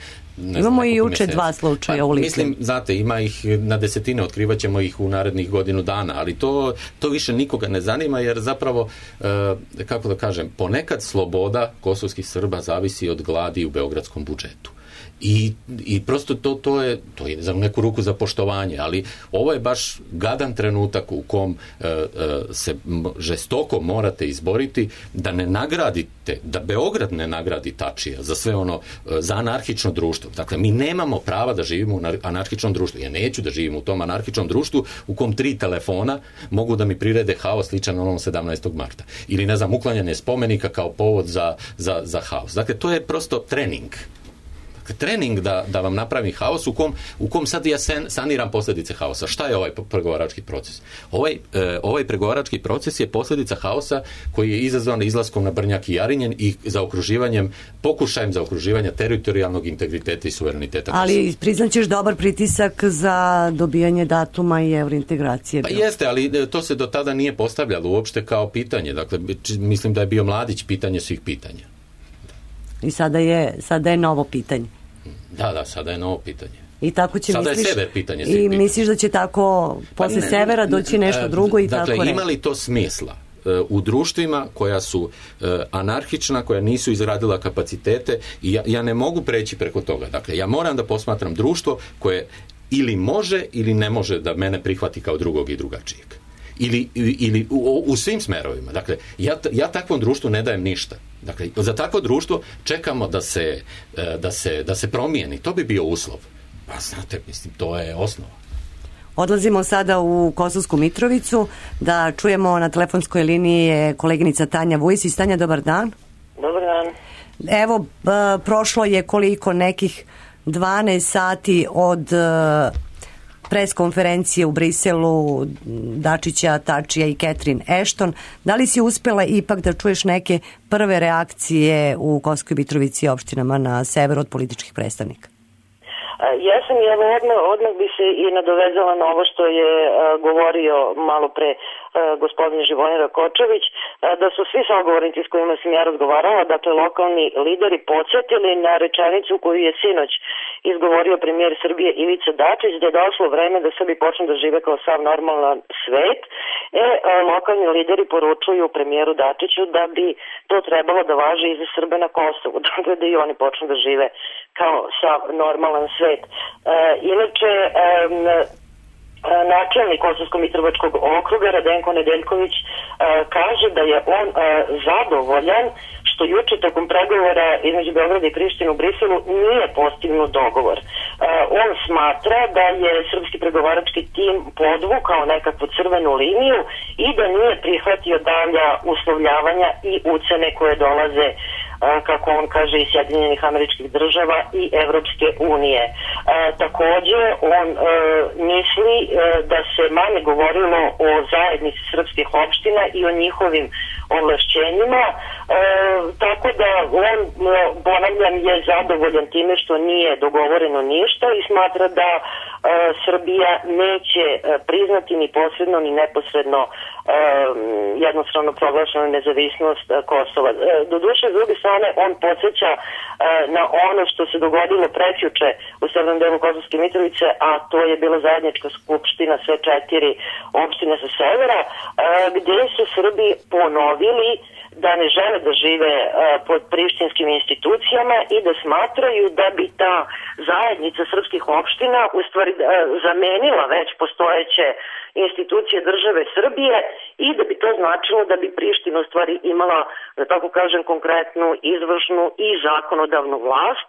Imamo i juče 2 slučaja u Litvi. Mislim, znate, ima ih na desetine, otkrivaćemo ih u narednih godinu dana, ali to više nikoga ne zanima jer zapravo, kako da kažem, ponekad sloboda kosovskih Srba zavisi od gladi u beogradskom budžetu. I prosto to je za neku ruku za poštovanje, ali ovo je baš gadan trenutak u kom se žestoko morate izboriti da ne nagradite, da Beograd ne nagradi Tačija za sve ono, za anarhično društvo. Dakle, mi nemamo prava da živimo u anarhičnom društvu. Ja neću da živim u tom anarhičnom društvu u kom 3 telefona mogu da mi prirede haos sličan onom 17. marta. Ili, ne znam, uklanjanje spomenika kao povod za haos. Dakle, to je prosto trening. Da vam napravim haos u kom sad ja saniram posljedice haosa. Šta je ovaj pregovarački proces? Ovaj pregovarački proces je posljedica haosa koji je izazvan izlaskom na Brnjak i Jarinjen i pokušajem zaokruživanja teritorijalnog integriteta i suvereniteta. Ali priznaćeš dobar pritisak za dobijanje datuma i evrointegracije? Pa jeste, ali to se do tada nije postavljalo uopšte kao pitanje. Dakle, mislim da je bio Mladić pitanje svih pitanja. I sada je novo pitanje. Da, sada je novo pitanje. I tako će, sada misliš, je sever pitanje. I misliš da će tako posle severa doći nešto drugo i tako dakle, ima li to smisla u društvima koja su anarhična, koja nisu izradila kapacitete i ja ne mogu preći preko toga. Dakle, ja moram da posmatram društvo koje ili može ili ne može da mene prihvati kao drugog i drugačijeg. Ili u svim smerovima. Dakle, ja takvom društvu ne dajem ništa. Dakle, za takvo društvo čekamo da se promijeni. To bi bio uslov. Pa znate, mislim, to je osnova. Odlazimo sada u Kosovsku Mitrovicu da čujemo na telefonskoj liniji je koleginica Tanja Vujisić. Tanja, dobar dan. Dobar dan. Evo, prošlo je koliko nekih 12 sati od pres konferencije u Briselu Dačića, Tačija i Catherine Ashton. Da li si uspjela ipak da čuješ neke prve reakcije u Kosovskoj Mitrovici i opštinama na severu od političkih predstavnika? Jesam, i odmah bi se i nadovezala na ovo što je govorio malo pre gospodin Živojin Rakočević, da su svi sagovornici s kojima sam ja razgovarala, dakle lokalni lideri, podsjetili na rečenicu koju je sinoć izgovorio premijer Srbije Ivica Dačić, da je došlo vreme da Srbi počnu da žive kao sav normalan svet. Lokalni lideri poručuju premijeru Dačiću da bi to trebalo da važi i za Srbe na Kosovu, dakle da i oni počnu da žive kao sav normalan svet. Inače, načelnik Kosovsko-Mitrovačkog okruga Radenko Nedeljković kaže da je on zadovoljan što juče tokom pregovora između Beograda i Prištine u Briselu nije postignut dogovor. On smatra da je srpski pregovarački tim podvukao nekakvu crvenu liniju i da nije prihvatio dalja uslovljavanja i ucene koje dolaze, kako on kaže, iz Sjedinjenih Američkih Država i Evropske unije. Takođe, on misli da se manje govorilo o zajednici srpskih opština i o njihovim ovlašćenjima, tako da on, ponavljam, je zadovoljan time što nije dogovoreno ništa i smatra da Srbija neće priznati ni posredno ni neposredno jednostavno proglašena nezavisnost Kosova. Doduše, s druge strane, on podsjeća na ono što se dogodilo prekjuče u severnom delu Kosovske Mitrovice, a to je bila zajednička skupština sve 4 opštine sa severa, gde su Srbi ponovili da ne žele da žive pod prištinskim institucijama i da smatraju da bi ta zajednica srpskih opština u stvari zamenila već postojeće institucije države Srbije i da bi to značilo da bi Priština u stvari imala, da tako kažem, konkretnu izvršnu i zakonodavnu vlast.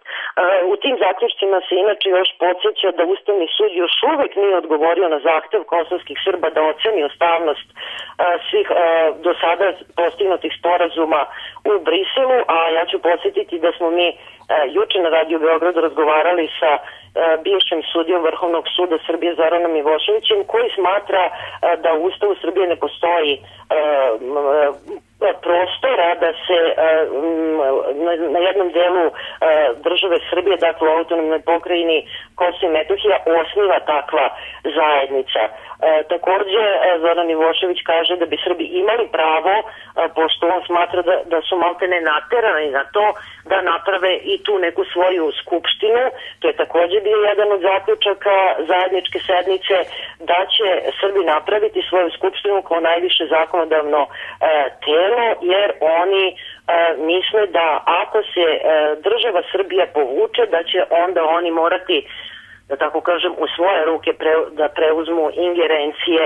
U tim zaključcima se inače još podsjeća da Ustavni sud još uvek nije odgovorio na zahtev kosovskih Srba da oceni ustavnost svih do sada postignutih sporazuma u Briselu, a ja ću podsjetiti da smo mi juče na Radio Beogradu razgovarali sa bivšim sudijom Vrhovnog suda Srbije Zoranom Miloševićem, koji smatra da u Ustavu Srbije ne postoji prostora da se na jednom delu države Srbije, dakle u autonomnoj pokrajini Kosovo i Metohija, osniva takva zajednica. Takođe, Zoran Milošević kaže da bi Srbi imali pravo, pošto on smatra da su maltene naterani na to, da naprave i tu neku svoju skupštinu. To je takođe bio jedan od zaključaka zajedničke sednice, da će Srbi napraviti svoju skupštinu kao najviše zakonodavno telo, jer oni misle da ako se država Srbija povuče, da će onda oni morati, da tako kažem, u svoje ruke da preuzmu ingerencije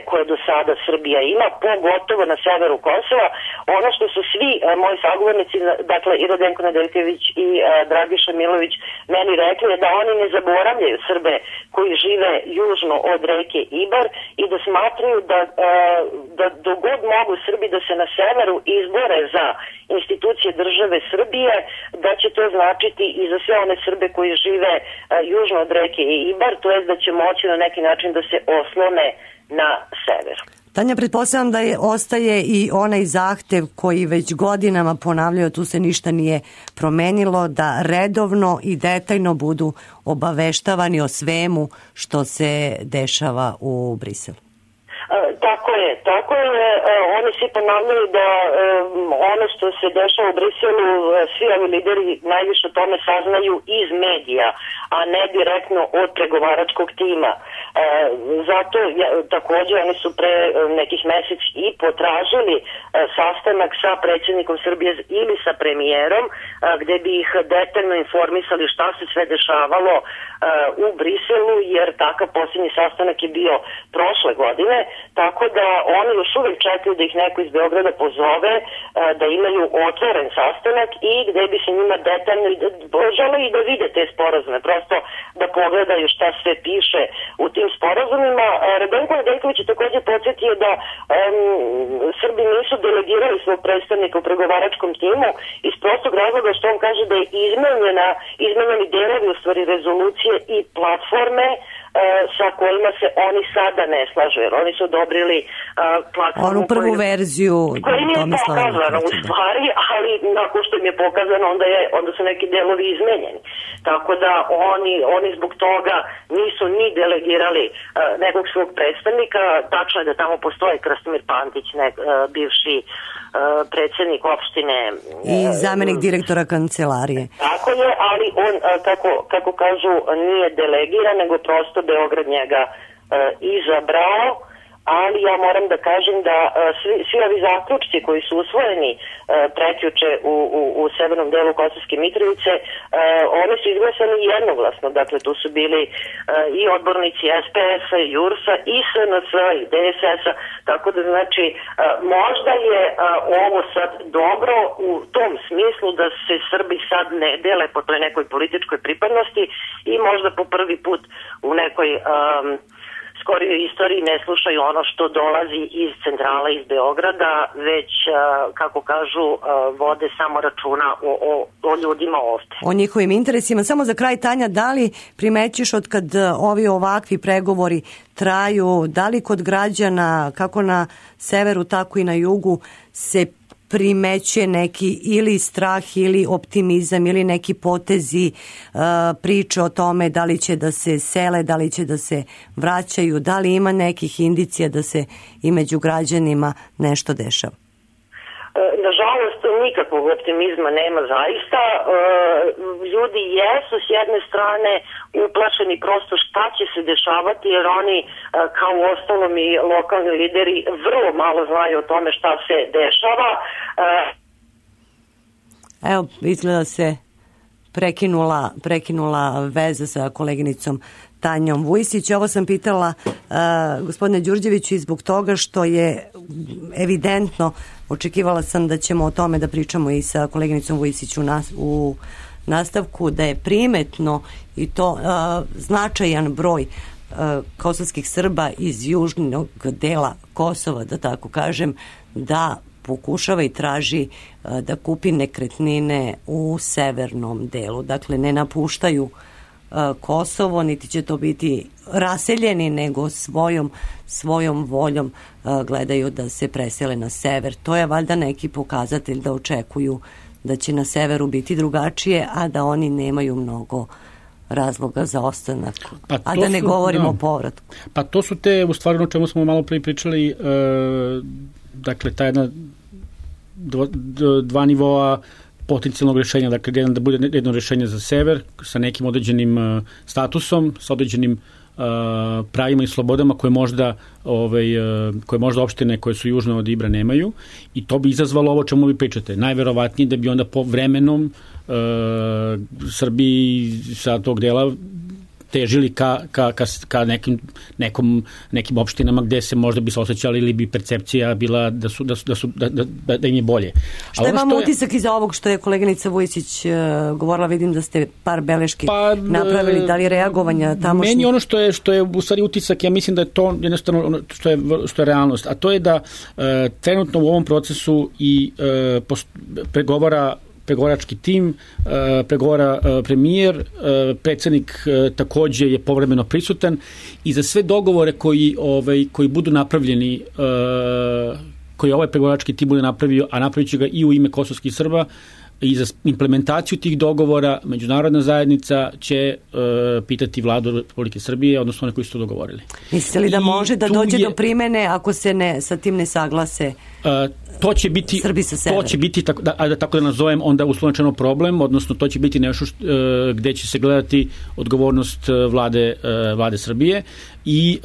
koje do sada Srbija ima, pogotovo na severu Kosova. Ono što su svi moji sagovornici, dakle i Radenko Nedeljković i Dragiša Milović, meni rekli je da oni ne zaboravljaju Srbe koji žive južno od reke Ibar i da smatraju da dogod mogu Srbi da se na severu izbore za institucije države Srbije, da će to značiti i za sve one Srbe koji žive južno od reke Ibar, to je da će moći na neki način da se oslone na sever. Tanja, pretpostavljam da ostaje i onaj zahtev koji već godinama ponavljaju, tu se ništa nije promenilo, da redovno i detaljno budu obaveštavani o svemu što se dešava u Briselu. Tako je, oni svi ponavljaju da ono što se dešava u Briselu, svi ovi lideri najviše o tome saznaju iz medija, a ne direktno od pregovaračkog tima. Zato takođe oni su pre nekih mesec i potražili sastanak sa predsjednikom Srbije ili sa premijerom, gde bi ih detaljno informisali šta se sve dešavalo u Briselu, jer takav posljednji sastanak je bio prošle godine, tako da oni još uvijek čekaju da ih neko iz Beograda pozove, da imaju otvoren sastanak i gde bi se njima detaljno žele i da vide te sporazume, prosto da pogledaju šta sve piše u tim sporazumima. Radenko Nedeljković je takođe podsjetio da Srbi nisu delegirali svog predstavnika u pregovaračkom timu iz prostog razloga što on kaže da je izmenjeni delovi u stvari rezolucije i platforme sa kojima se oni sada ne slažu, jer oni su odobrili platformu onu prvu verziju koja im je pokazana u stvari, ali nakon što im je pokazano onda su neki delovi izmenjeni. Tako da oni zbog toga nisu ni delegirali nekog svog predstavnika. Tačno je da tamo postoji Krastimir Pantić, bivši predsjednik opštine i zamenik direktora kancelarije. Tako je, ali on, kako kažu, nije delegiran, nego prosto Beograd njega izabrao, ali ja moram da kažem da svi ovi zaključci koji su usvojeni prekjuče u severnom delu Kosovske Mitrovice, oni su izglasani jednoglasno, dakle tu su bili i odbornici SPS-a, JURS-a, i SNS-a, i DSS-a, tako da znači možda je ovo sad dobro u tom smislu da se Srbi sad ne dele po toj nekoj političkoj pripadnosti i možda po prvi put u nekoj skorijoj istoriji ne slušaju ono što dolazi iz centrala, iz Beograda, već, kako kažu, vode samo računa o ljudima ovde. O njihovim interesima. Samo za kraj, Tanja, da li primećiš od kad ovi ovakvi pregovori traju, da li kod građana, kako na severu, tako i na jugu, se primećuje neki ili strah ili optimizam ili neki potezi, priče o tome da li će da se sele, da li će da se vraćaju, da li ima nekih indicija da se i među građanima nešto dešava? Nažalost, nikakvog optimizma nema zaista. Ljudi jesu s jedne strane uplašeni prosto šta će se dešavati, jer oni, kao u ostalom i lokalni lideri, vrlo malo znaju o tome šta se dešava. Evo, izgleda se prekinula veza sa koleginicom Tanjom Vujsić. Ovo sam pitala gospodine Đurđeviću i zbog toga što je evidentno, očekivala sam da ćemo o tome da pričamo i sa koleginicom Vujsić u nastavku, da je primetno i to značajan broj kosovskih Srba iz južnog dela Kosova, da tako kažem, da pokušava i traži da kupi nekretnine u severnom delu. Dakle, ne napuštaju Kosovo, niti će to biti raseljeni, nego svojom voljom gledaju da se presele na sever. To je valjda neki pokazatelj da očekuju da će na severu biti drugačije, a da oni nemaju mnogo razloga za ostanak. A da ne govorimo o povratku. Pa to su te, u stvari, o čemu smo malo prije pričali, dakle, ta jedna dva nivoa potencijalnog rješenja, dakle, jedan da bude jedno rješenje za sever sa nekim određenim statusom, sa određenim pravima i slobodama koje možda opštine koje su južno od Ibra nemaju, i to bi izazvalo ovo čemu vi pričate. Najverovatnije da bi onda po vremenom Srbiji sa tog dela težili ka nekim opštinama gde se možda bi se osjećali ili bi percepcija bila da im je bolje. Šta imamo utisak iza ovog što je koleginica Vujsić govorila? Vidim da ste par beleški napravili, da li reagovanja tamošnjih? Meni ono što je u stvari utisak, ja mislim da je to jednostavno ono što je realnost, a to je da trenutno u ovom procesu i pregovarački tim, pregovara premijer, predsjednik takođe je povremeno prisutan, i za sve dogovore koji budu napravljeni, koji ovaj pregovarački tim bude napravio, a napravit će ga i u ime kosovskih Srba, i za implementaciju tih dogovora međunarodna zajednica će pitati vladu Republike Srbije, odnosno one koji su to dogovorili. Mislite li da može da dođe do primene ako se sa tim ne saglase Srbi sa severa? To će biti, tako da nazovem, onda uslovno problem, odnosno to će biti nešto gde će se gledati odgovornost vlade Srbije, i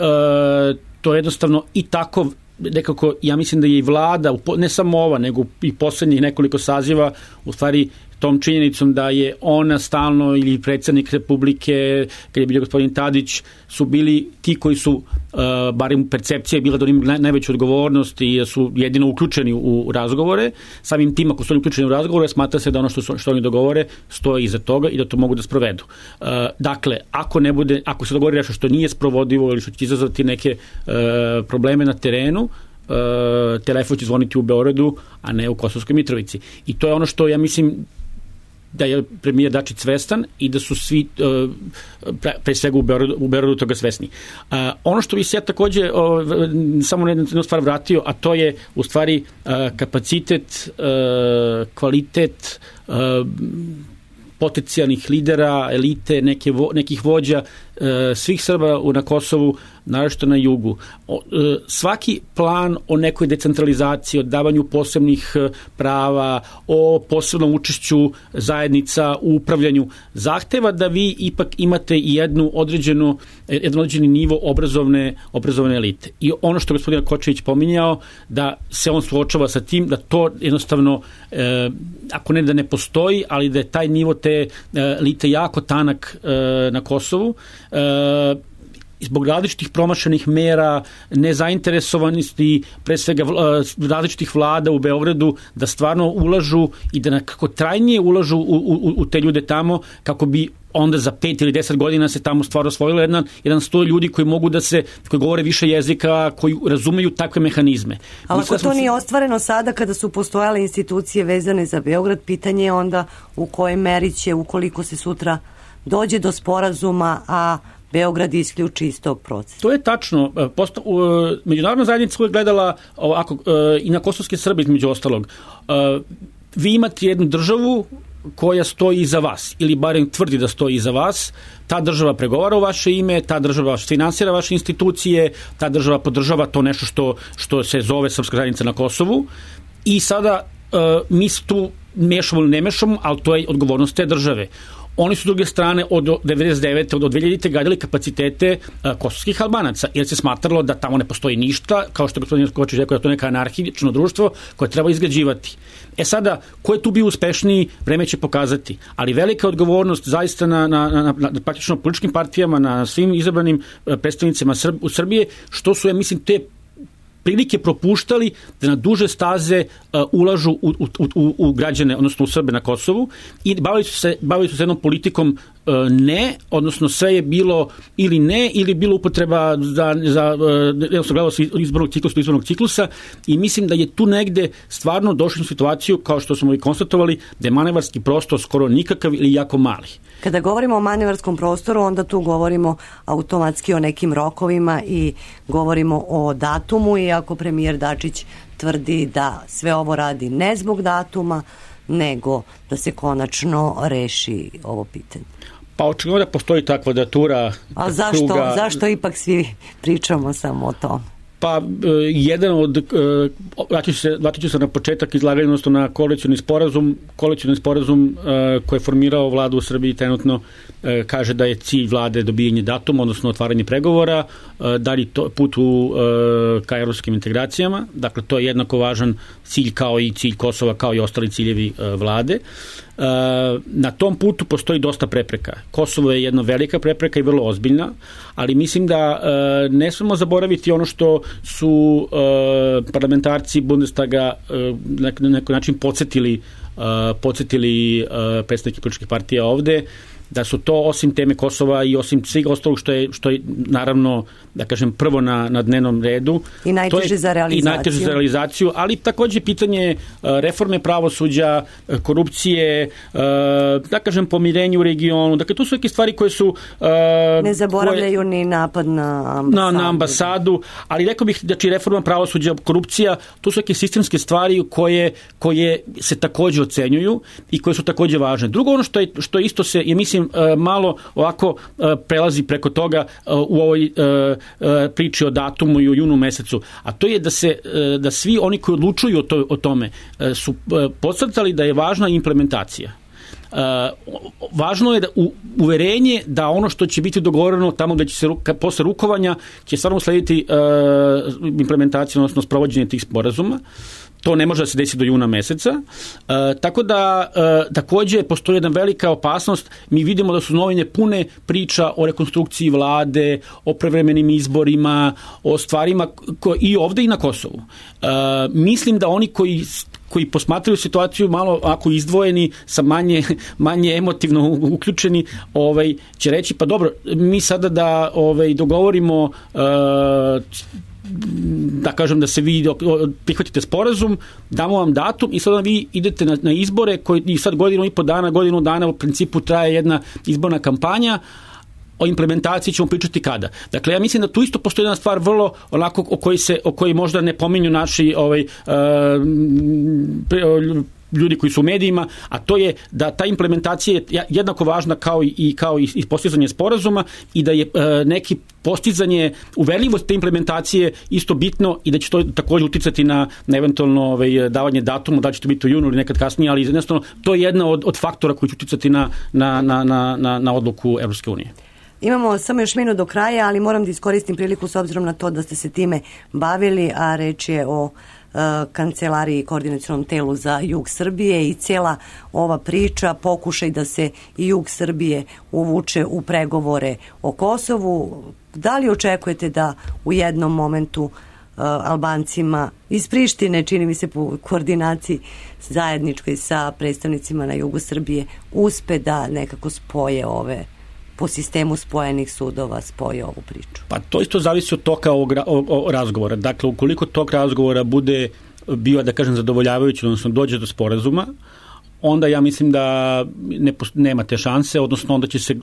to jednostavno i tako nekako, ja mislim da je i vlada, ne samo ova, nego i poslednjih nekoliko saziva, u stvari tom činjenicom da je ona stalno, ili predsjednik Republike, kad je bio gospodin Tadić, su bili ti koji su, barem percepcija je bila da imaju najveću odgovornost i da su jedino uključeni u razgovore. Samim tim, ako su oni uključeni u razgovore, smatra se da ono što oni dogovore stoji iza toga i da to mogu da sprovedu. Dakle, ako se dogovori nešto što nije sprovodivo ili što će izazvati neke probleme na terenu, telefon će zvoniti u Beogradu, a ne u Kosovskoj Mitrovici. I to je ono što ja mislim da je premijer Dačić svestan i da su svi pre svega u Beogradu toga svesni. Ono što bi se ja takođe samo na jednu stvar vratio, a to je u stvari kapacitet, kvalitet potencijalnih lidera, elite, nekih vođa svih Srba na Kosovu, naročito na jugu. Svaki plan o nekoj decentralizaciji, o davanju posebnih prava, o posebnom učešću zajednica u upravljanju, zahteva da vi ipak imate i jedan određeni nivo obrazovne elite. I ono što gospodin Kočević pominjao, da se on suočava sa tim, da to jednostavno, ako ne da ne postoji, ali da je taj nivo te elite jako tanak na Kosovu, zbog različitih promašenih mera, nezainteresovanosti, pre svega različitih vlada u Beogradu, da stvarno ulažu i da nekako trajnije ulažu u te ljude tamo, kako bi onda za 5 ili 10 godina se tamo stvarno osvojilo jedan 100 ljudi koji mogu koji govore više jezika, koji razumeju takve mehanizme. Ali ako to nije ostvareno sada, kada su postojale institucije vezane za Beograd, pitanje je onda u kojoj meri će, ukoliko se sutra dođe do sporazuma, a Beograd isključi iz tog procesa. To je tačno. Međunarodna zajednica uvijek gledala ovako, i na kosovske Srbe između ostalog. Vi imate jednu državu koja stoji iza vas, ili barem tvrdi da stoji iza vas, ta država pregovara u vaše ime, ta država finansira vaše institucije, ta država podržava to nešto što se zove Srpska zajednica na Kosovu i sada mi se tu mešamo ili ne mešamo, ali to je odgovornost te države. Oni su s druge strane od 99. od 2000. gradili kapacitete kosovskih Albanaca, jer se smatralo da tamo ne postoji ništa, kao što je gospodin Kočić rekao, da to je neka anarhično društvo koje treba izgrađivati. Sada, ko je tu bio uspešniji, vreme će pokazati, ali velika odgovornost zaista na praktično političkim partijama, na svim izabranim predstavnicima u Srbije, što su, ja mislim, te prilike propuštali da na duže staze ulažu u građane, odnosno u Srbe na Kosovu i bavili su se jednom politikom ne, odnosno sve je bilo ili ne, ili bilo upotreba gledalo se izbornog ciklusa i mislim da je tu negde stvarno došli u situaciju, kao što smo i konstatovali, da je manevarski prostor skoro nikakav ili jako mali. Kada govorimo o manevarskom prostoru, onda tu govorimo automatski o nekim rokovima i govorimo o datumu, iako premijer Dačić tvrdi da sve ovo radi ne zbog datuma, nego da se konačno reši ovo pitanje. Pa očigledno da postoji ta kvadratura. A zašto ipak svi pričamo samo o tom? Pa jedan od, vratit ću se na početak izlaganja, odnosno na koalicijni sporazum koji je formirao vladu u Srbiji trenutno, kaže da je cilj vlade dobijanje datuma, odnosno otvaranje pregovora, dalje put ka evropskim integracijama, dakle to je jednako važan cilj kao i cilj Kosova, kao i ostali ciljevi vlade. Na tom putu postoji dosta prepreka. Kosovo je jedna velika prepreka i vrlo ozbiljna, ali mislim da ne smemo zaboraviti ono što su parlamentarci Bundestaga na neki način podsjetili predstavnike političkih partija ovde, da su to osim teme Kosova i osim svih ostalog što je naravno, da kažem, prvo na dnevnom redu. I najteže za realizaciju. Ali takođe pitanje reforme pravosuđa, korupcije, da kažem, pomirenju u regionu. Dakle, to su neke stvari koje su... Ne zaboravljaju ni napad na ambasadu. Na ambasadu, ali rekao bih da reforma pravosuđa, korupcija, to su neke sistemske stvari koje se takođe ocenjuju i koje su takođe važne. Drugo, ono što isto se, je mislim, malo ovako prelazi preko toga u ovoj priči o datumu i o junu mesecu, a to je da svi oni koji odlučuju o tome su podcrtali da je važna implementacija. Važno je da uverenje da ono što će biti dogovoreno tamo gde će se posle rukovanja će stvarno slediti implementacija, odnosno sprovođenje tih sporazuma. To ne može da se desi do juna meseca. Tako da takođe postoji jedna velika opasnost. Mi vidimo da su novine pune priča o rekonstrukciji vlade, o prevremenim izborima, o stvarima i ovde i na Kosovu. Mislim da oni koji posmatraju situaciju malo ako izdvojeni, sa manje emotivno uključeni, će reći pa dobro, mi sada da dogovorimo da kažem da se vi prihvatite sporazum, damo vam datum i sada vi idete na izbore koji sad godinu dana u principu traje jedna izborna kampanja, o implementaciji ćemo pričati kada. Dakle, ja mislim da tu isto postoji jedna stvar vrlo onako o kojoj možda ne pominju naši ljudi koji su u medijima, a to je da ta implementacija je jednako važna kao i postizanje sporazuma i da je neki postizanje, uverljivost te implementacije isto bitno i da će to također uticati na eventualno davanje datuma, da će to biti u junu ili nekad kasnije, ali jednostavno to je jedna od faktora koji će uticati na odluku Evropske unije. Imamo samo još minut do kraja, ali moram da iskoristim priliku s obzirom na to da ste se time bavili, a reč je o kancelariji i koordinacionom telu za jug Srbije i cijela ova priča, pokušaj da se i jug Srbije uvuče u pregovore o Kosovu. Da li očekujete da u jednom momentu Albancima iz Prištine, čini mi se po koordinaciji zajedničkoj sa predstavnicima na jugu Srbije, uspe da nekako spoje po sistemu spojenih sudova spoje ovu priču? Pa to isto zavisi od toka ovog razgovora. Dakle, ukoliko tok razgovora bude bio, da kažem, zadovoljavajući, odnosno dođe do sporazuma, onda ja mislim da nema te šanse, odnosno onda će se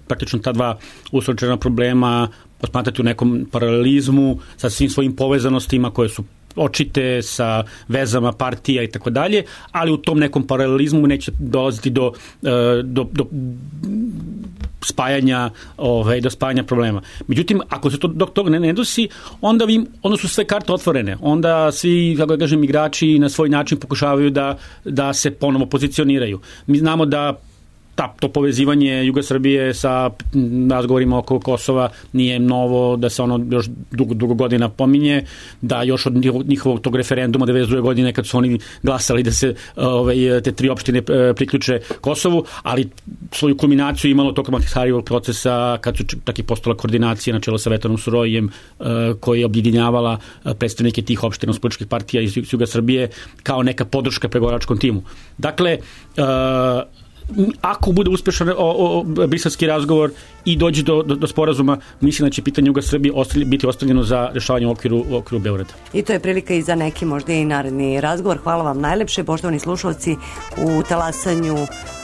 praktično ta dva uslovčena problema posmatrati u nekom paralelizmu sa svim svojim povezanostima koje su očite sa vezama partija i tako dalje, ali u tom nekom paralelizmu neće dolaziti do spajanja do spajanja problema. Međutim, ako se to dok toga ne dosi, onda su sve karte otvorene. Onda svi, kako da kažem, igrači na svoj način pokušavaju da se ponovo pozicioniraju. Mi znamo da to povezivanje Juga Srbije sa razgovorima oko Kosova nije novo, da se ono još dugo godina pominje, da još od njihovog tog referenduma 92. godine kad su oni glasali da se te tri opštine priključe Kosovu, ali svoju kulminaciju imalo tokom Ahtisarijevog procesa kad su tak i postala koordinacija na čelo sa Vetanom Surovijem koja je objedinjavala predstavnike tih opština političkih partija iz Juga Srbije kao neka podrška pregovaračkom timu. Dakle, ako bude uspešan briselski razgovor i dođe do sporazuma, mislim da će pitanje Juga Srbije biti ostavljeno za rešavanje u okviru Beograda. I to je prilika i za neki možda i naredni razgovor. Hvala vam najlepše, poštovani slušalci. U talasanju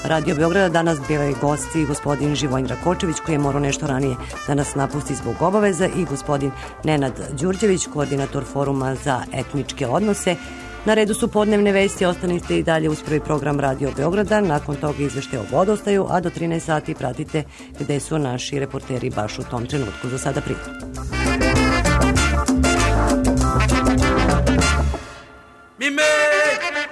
Radio Beograda danas bili gosti gospodin Živojin Rakočević, koji je morao nešto ranije da nas napusti zbog obaveza, i gospodin Nenad Đurđević, koordinator Foruma za etničke odnose. Na redu su podnevne vesti, ostanite i dalje uz prvi program Radio Beograda, nakon toga izveštaje o vodostaju, a do 13 sati pratite gde su naši reporteri baš u tom trenutku. Za sada prijatno. Mi make